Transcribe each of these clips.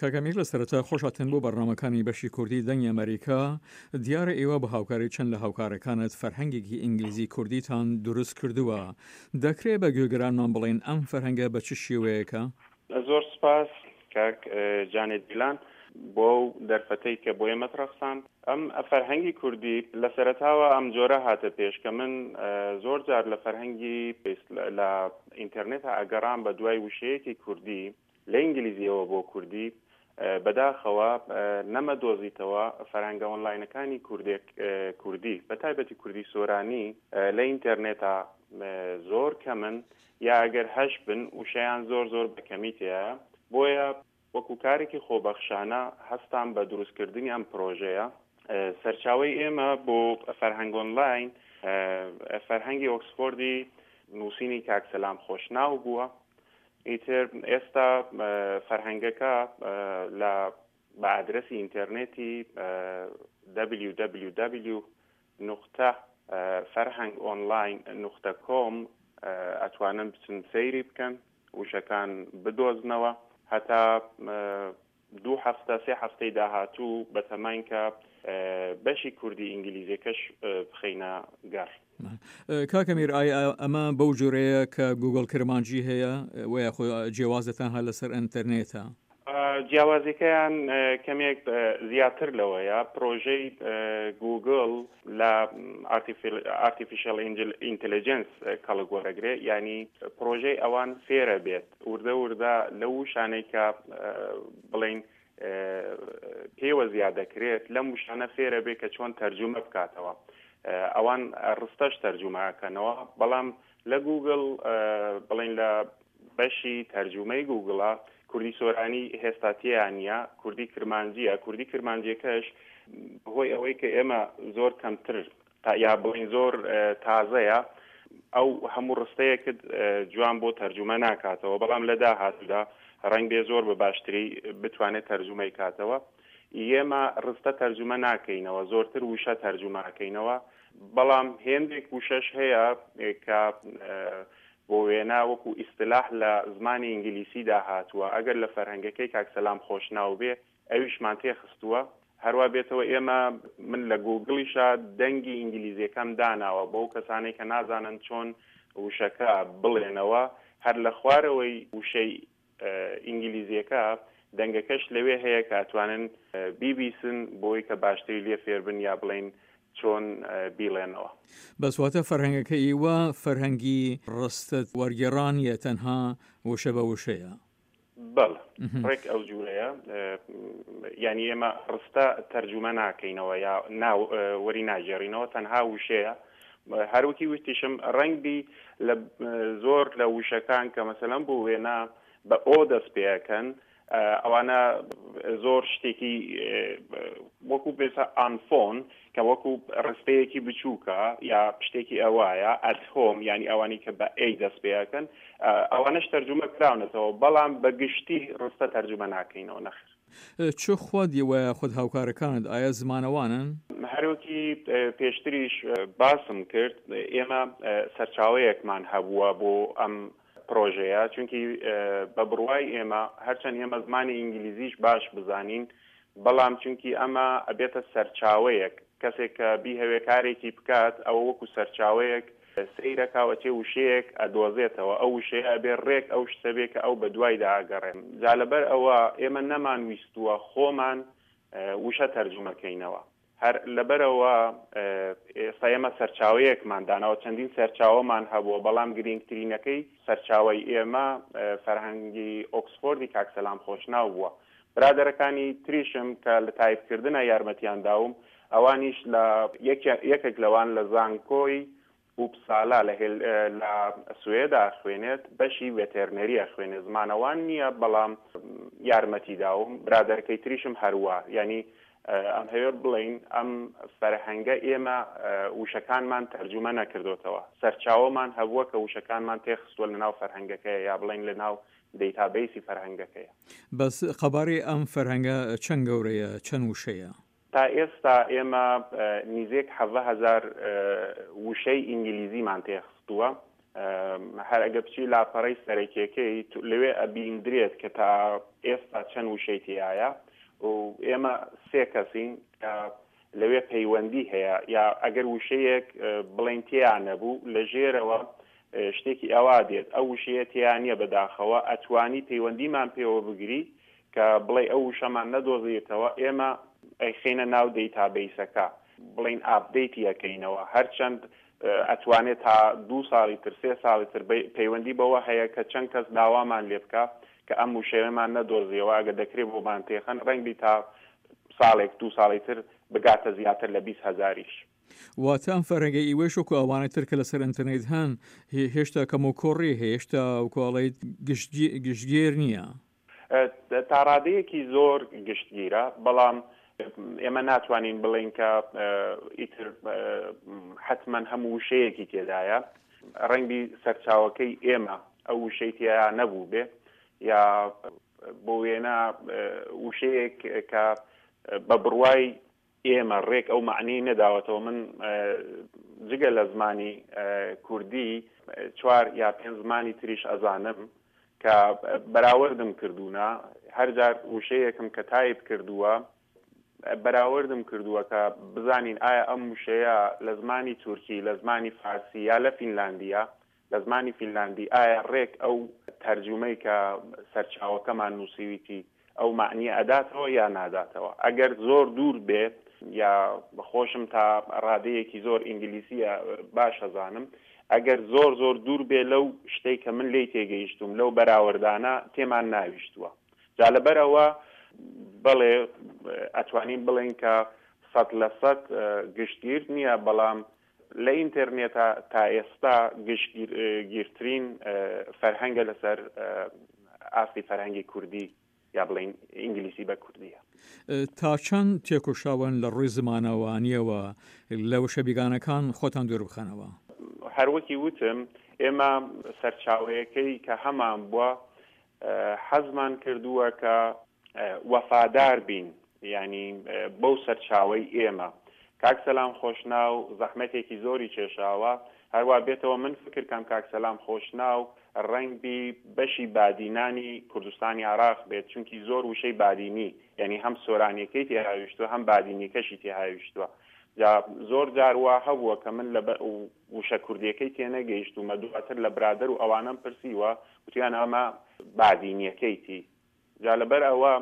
کاک ئەمیر لە سەرەتا خۆش هاتن بۆ بەرنامەکانی بەشی کوردی دەنگی ئەمەریکا، دیارە ئێوە بە هاوکاری چەند لە هاوکارەکانت فەرهەنگێکی ئینگلیزی کوردیتان دروست کردووە، دەکرێ بە گوێگرانمان بڵێن ئەم فەرهەنگە بە چ شێوەیەکە؟ زۆر سوپاس کاک جانێ دیلان بۆ ئەو دەرفەتەی کە بۆ ئێمەت ڕەخساند. ئەم فەرهەنگی کوردی لە سەرەتاوە ئەم جۆرە هاتە پێش کە من زۆر جار لە فەرهەنگی لە ئینتەرنێتا ئەگەڕام بە دوای وشەیەکی کوردی لە ئینگلیزیەوە بۆ کوردی بەداخەوە نەمەدۆزیتەوە فەرهەنگە ئۆنلاینەکانی کوردێک کوردی بە تایبەتی کوردی سۆرانی لە ئینتەرنێتا زۆر کەمن یا ئەگەر هەش بن وشەیان زۆر زۆر بە کەمی تێیە بۆیە وەکو کارێکی خۆبەخشانە هەستام بە دروستکردنی ئەم پرۆژەیە سەرچاوەی ئێمە بۆ فەرهەنگ ئۆنلاین فەرهەنگی ئۆکسفۆردی نووسینی کاک سەلام خۆشناو بووە ئیتر ئێستا فەرهەنگەکە لە بە ئادرەسی ئینتێرنێتی www نوقتە فەرهەنگ ئۆنلاین نوقتە کۆم ئەتوانن بچن سەیری بکەن وشەکان بدۆزنەوە هەتا دوو هەفتە سێ هەفتەی داهاتوو بەتەماین کە بەشی کوردی ئینگلیزیەکەش بخەینە گەڕ. کاک ئەمیر ئایا ئەمە بەو جۆرەیە کە گوگڵ کرمانجی هەیە وە یاخۆ جیاوازە تەنها لەسەر ئەنتەرنێتە؟ جیاوازیەکەیان کەمێک زیاتر لەوەیە پرۆژەی گوگڵ لە ئارتیفیشەڵ ئینتەلیجنس کەڵک وەرەگرێ یانی پرۆژەی ئەوان فێرە بێت وردە وردە لەو وشانەی کە بڵێین پێوە زیاد دەکرێت لەم وشانە فێرە بێ کە چۆن تەرجومە بکاتەوە ئەوان ڕستەش تەرجومە ئەکەنەوە بەڵام لە گوگل بڵین لە بەشی تەرجومەی گوگڵە کوردی سۆرانی هێستا تێیان نییە کوردی کرمانجیە کوردی کرمانجیەکەش بەهۆی ئەوەی کە ئێمە زۆر کەمتر تا یا بڵێین زۆر تازەیە ئەو هەموو ڕستەیەکت جوان بۆ تەرجومە ناکاتەوە بەڵام لە داهاتوودا ڕەنگ بێ زۆر بە باشتری بتوانێت تەرجومەی کاتەوە ئێمە ڕستە تەرجومە ناکەینەوە زۆرتر وشە تەرجومە ئەکەینەوە بەڵام هێندێک وشەش هەیە کە بۆ وێنە وەکو ئیستلاح لە زمانی ئینگلیسیدا هاتووە ئەگەر لە فەرهەنگەکەی کاک سەلام خۆشناو بێ ئەویشمان تێخستووە هەروا بێتەوە ئێمە من لە گووگڵیشا دەنگی ئینگلیزیەکەم داناوە بەو کەسانەی کە نازانن چۆن وشەکە بڵێنەوە هەر لە خوارەوەی وشەی ئینگلیزیەکە دەنگەکەش لەوێ هەیە کە ئەتوانن بیبیسن بۆی کە باشتری لێ فێربن یا بڵێن چۆن بیڵێنەوە. بەس واتە فەرهەنگەکە ئیوە فەرهەنگی ڕستە وەرگێڕان نیە تەنها وشە بە وشەیە؟ بەڵێ ڕێک ئەو جورەیە یانی ئێمە ڕستە تەرجومە ناکەینەوە یا ناو وەری ناگێڕینەوە تەنها وشەیە هەروەکی وتیشم ڕەنگبی لە زۆر لە وشەکان کە مەسەلەن بۆ وێنە بە ئۆ دەست پێەکەن ئەوانە زۆر شتێکی وەکو بێسە ئانفۆن کە وەکو ڕستەیەکی بچووکە یا شتێکی ئەوایە ئەت هۆم یانی ئەوانەی کە بە ئەی دەست پێ ئەکەن ئەوانەش تەرجومە کراونەتەوە بەڵام بە گشتی ڕستە تەرجومە ناکەینەوە نەخێر. چ خۆت وە یاخود هاوکارەکانت ئایا زمانەوانن؟ هەروەکی پێشتریش باسم کرد ئێمە سەرچاوەیەکمان هەبووە بۆ ئەم پرۆژەیە چونکی بە بڕوای ئێمە هەرچەند ئێمە زمانی ئینگلیزیش باش بزانین بەڵام چونکی ئەمە ئەبێتە سەرچاوەیەک کەسێک کە بیهەوێ کارێکی بکات ئەوە وەکو سەرچاوەیەک سەیرەکا و ئەچێ وشەیەک ئەدۆزێتەوە ئەو وشەیە ئەبێ ڕێک ئەو شتە بێ کە ئەو بەدوایدا ئەگەڕێ جا لەبەر ئەوە ئێمە نەمان ویستووە خۆمان وشە تەرجومە کەینەوە هەر لەبەرئەوە ئێستا ئێمە سەرچاوەیەکمان داناوە، چەندین سەرچاوەمان هەبووە، بەڵام گرینگترینەکەی سەرچاوەی ئێمە فەرهەنگی ئۆکسفۆردی کاک سەلام خۆشناو بووە. برادەرەکانی تریشم کە لە تایپکردنا یارمەتیان داوم، ئەوانیش لە یەکێک لەوان لە زانکۆی ئوپسالا لە هێل لە سوێدا ئەخوێنێت بەشی ڤێتێرنەری ئەخوێنێ زمانەوان نییە بەڵام یارمەتی داوم برادەرەکەی تریشم هەروا یانی ئەمهەوێ بڵێین ئەم فەرهەنگە ئێمە وشەکانمان تەرجومە نەکردۆتەوە سەرچاوەمان هەبووە کە وشەکانمان تێخستووە لە ناو فەرهەنگەکەیە یا بڵێین لە ناو دەیتابەیسی فەرهەنگەکەیە. بەس قەبارەی ئەم فەرهەنگە چەند گەورەیە چەند وشەیە؟ تا ئێستا ئێمە نیزێک 17 هەزار وشەی ئینگلیزیمان تێخستووە. هەر ئەگە بچی لاپەڕەی سەرەکیەکەی لەوێ ئەبیندرێت کە تا ئێستا چەند وشەی تیایە و ئێمە سێ کەسین کە لەوێ پەیوەندی هەیە یا ئەگەر وشەیەک بڵێن تیا نەبوو لە ژێرەوە شتێکی ئەوا دێت ئەو وشەیە تیا نییە بەداخەوە ئەتوانی پەیوەندیمان پێوە بگری کە بڵێ ئەو وشەمان نەدۆزیتەوە ئێمە ئەیخەینە ناو دەیتابەیسەکە بڵێین ئاپدەیتی ئەکەینەوە هەرچەند ئەتوانێت تا دوو ساڵی تر سێ ساڵی تر پەیوەندی بەوە هەیە کە چەند کەس داوامان لێ بکا کە ئەم وشەیەمان نەدۆزیەوە ئەگەر دەکرێ بۆمان تێخەن ڕەنگبی تا ساڵێک دوو ساڵی تر بگاتە زیاتر لە 20 هەزاریش. واتە ئەم فەرهەنگەی ئیوەیش وەکو ئەوانەی تر کە لەسەر ئینتەرنێت هەن هێشتا کەموکوڕی هەیە هێشتا وەکو ئەڵێیت گشتگیر نییە. تا ڕادەیەکی زۆر گشتگیرە، بەڵام ئێمە ناتوانین بڵێین کە ئیتر حەتمەن هەموو وشەیەکی تێدایە. ڕەنگبی سەرچاوەکەی ئێمە ئەو وشەی تێیا نەبووبێ یا بۆ وێنە وشەیەک کە بە بڕوای ئێمە ڕێک ئەو مەعنی نەداوەتەوە من جگە لە زمانی کوردی چوار یا پێنج زمانی تریش ئەزانم کە بەراوردم کردوونە هەرجار وشەیەکم کە تایپ کردووە بەراوردم کردووە کە بزانین ئایا ئەم وشەیە لە زمانی تورکی لە زمانی فارسی یا لە فینلاندیە لە زمانی فینلاندی ئایا ڕێک ئەو تەرجومەی کە سەرچاوەکەمان نووسیویتی ئەو مەعنیە ئەداتەوە یا ناداتەوە؟ ئەگەر زۆر دوور بێ یا خۆشم تا ڕادەیەکی زۆر ئینگلیسیە باش ئەزانم ئەگەر زۆر زۆر دوور بێ لەو شتەی کە من لێی تێگەیشتووم لەو بەراوردانە تێمان ناویشتووە جا لەبەر ئەوە بەڵێ ئەتوانین بڵێین کە 100% گشتگیر نییە بەڵام لە ئینتێرنێتا تا ئێستا گشتگیرترین فەرهەنگە لەسەر ئاستی فەرهەنگی کوردی یا بڵێین ئینگلیسی بە کوردیە. تا چەند تێکۆشاون لە ڕووی زمانەوانیەوە لە وشە بیگانەکان خۆتان دوور بخەنەوە؟ هەروەکی وتم ئێمە سەرچاوەیەکەی کە هەمان بووە حەزمان کردووە کە وەفادار بین یانی بەو سەرچاوەی ئێمە. کاک سەلام خۆشناو زەحمەتێکی زۆری کێشاوە، هەروا بێتەوە من فکر کەم کاک سەلام خۆشناو ڕەنگبی بەشی بادینانی کوردستانی عێراق بێت چونکی زۆر وشەی بادینی یانی هەم سۆرانیەکەی تێهاویشتوە هەم بادینیەکەشی تێهاویشتوە جا زۆر جار وا هەبووە کە من لە وشە کوردیەکەی تێنەگەیشتومە دواتر لە برادەر و ئەوانەم پرسیوە وتویانە ئەمە بادینیەکەیتی جا لەبەر ئەوە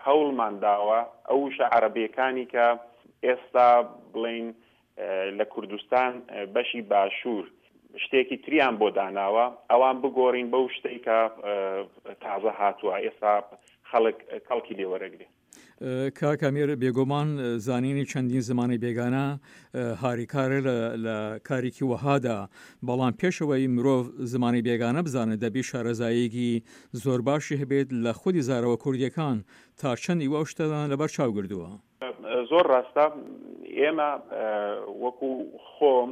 هەوڵمان داوە ئەو وشە عەرەبیەکانی کە ئێستا بڵێین لە کوردستان بەشی باشوور شتێکی تریان بۆ داناوە ئەوان بگۆڕین بەو شتەی کە تازە هاتووە ئێستا خەڵک کەڵکی لێ وەرەگرێ. کاک ئەمیر بێگومان زانینی چەندین زمانی بێگانە هاریکارە لە کارێکی وەهادا، بەڵام پێشەوەی مرۆڤ زمانی بێگانە بزانێت دەبی شارەزاییەکی زۆر باشی هەبێت لە خودی زارەوە کوردیەکان، تا چەند ئیوە ئەو شتەتان لەبەر چاو گردووە؟ زۆر ڕاستە ئێمە وەکو خۆم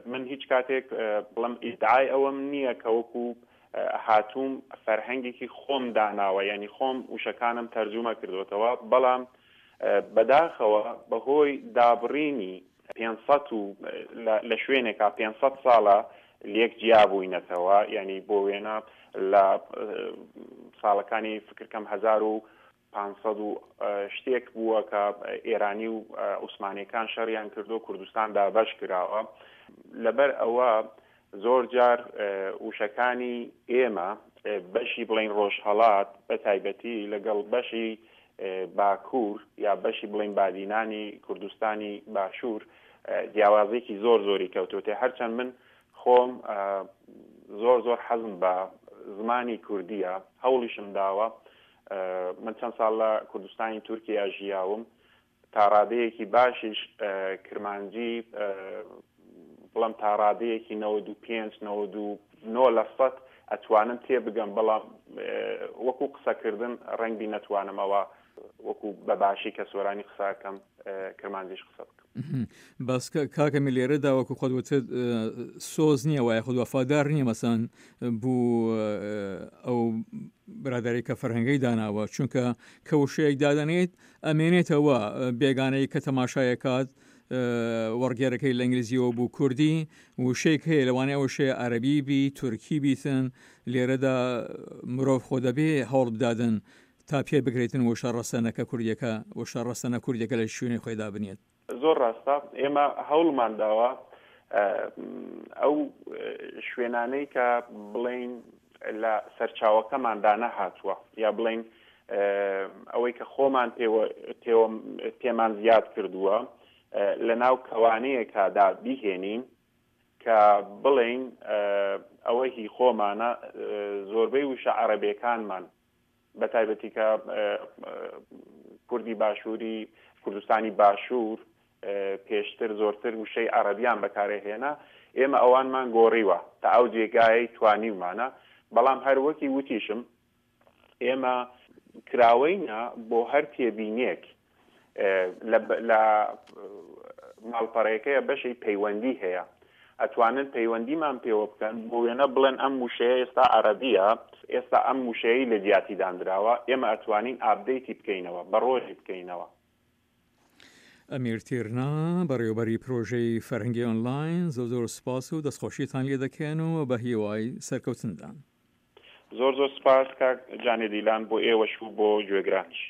من هیچ کاتێک بڵێم ئیدعای ئەوەم نییە کە وەکو هاتووم فەرهەنگێکی خۆم داناوە یعنی خۆم وشەکانم تەرجومە کردوتەوە بەڵام بەداخەوە بەهۆی دابڕینی 500 و لە شوێنێکا 500 ساڵە لێک جیا بووینەتەوە یعنی بۆ وێنە لە ساڵەکانی فکرکەم 1500 و شتێک بووە کە ئێرانی و عوسمانیەکان شەڕیان کردو کوردستان دابەش کراوە لەبەر ئەوە زۆر جار وشەکانی ئێمە بەشی بڵین ڕۆژهەڵات بە تایبەتی لەگەڵ بەشی باکوور یا بەشی بڵین بادینانی کوردستانی باشوور جیاوازێکی زۆر زۆری کەوتوتێ هەرچەند من خۆم زۆر زۆر حەزم بە زمانی کوردیە هەوڵیشم داوە من چەند ساڵ لە کوردستانی تورکیا ژیاوم تا ڕادەیەکی باشیش کرمانجی بڵم تا ڕادەیەکی 95 99 لە سەد ئەتوانم تێبگەم بەڵام وەکو قسەکردن ڕەنگبی نەتوانمەوە وەکو بە باشی کە سۆرانی قسەکەم کرمانجیش قسە بکەم. بەس کاکە می لێرەدا وەکو خۆت وتت سۆز نییە وایە خود وەفادار نییە مەسەن بوو ئەو برادری کە فەرهەنگەی داناوە چونکە کە وشەیەک دادەنێت ئەمێنێتەوە بێگانەی کە تەماشایەکات. وەڕگێرەکەی لە ئینگلیزیەوە بوو کوردی وشەیەک هەیە لەوانەیە ئەو وشەیە عەرەبی بی تورکی بیتن لێرەدا مرۆڤ خۆ دەبێ هەوڵ بدادن تا پێ بگریتن وشە ڕەسەنەکە کوردیەکە وشە ڕەسەنە کوردیەکە لە شوێنی خۆی دابنێت. زۆر ڕاستە ئێمە هەوڵمان داوە ئەو شوێنانەی کە بڵین لە سەرچاوەکەماندا نەهاتووە یا بڵین ئەوەی کە خۆمان پێمان زیاد کردووە لە ناو کەوانەیەکدا بیهێنین کە بڵین ئەوە هی خۆمانە زۆربەی وشە عەرەبێکانمان بە تایبەتی کە کوردی باشووری کوردستانی باشوور پێشتر زۆرتر وشەی عەڕەبیان بەکارەهێنا، ئێمە ئەوانمان گۆڕیوە تا ئەو جێگایەی توانیومانە، بەڵام هەر وەکی وتیشم ئێمە کراوەینە بۆ هەر تێبینیەک لە ماڵپەڕەکەیە بەشی پەیوەندی هەیە ئەتوانن پەیوەندیمان پێوە بکەن بۆ وێنە بڵێن ئەم وشەیە ئێستا عەرەبیە ئێستا ئەم وشەیەی لە جیاتی داندراوە ئێمە ئەتوانین ئاپدەیتی بکەینەوە بەڕۆژی بکەینەوە. ئەمیر تیرنا، بەڕێوەبەری پرۆژەی فەرهەنگی ئۆنلاین، زۆر زۆر سوپاس و دەستخۆشیتان لێ دەکەین و بە هیوای سەرکەوتندان. زۆر زۆر سوپاس کاک جانێ دیلان بۆ ئێوەش و بۆ گوێگرانیش.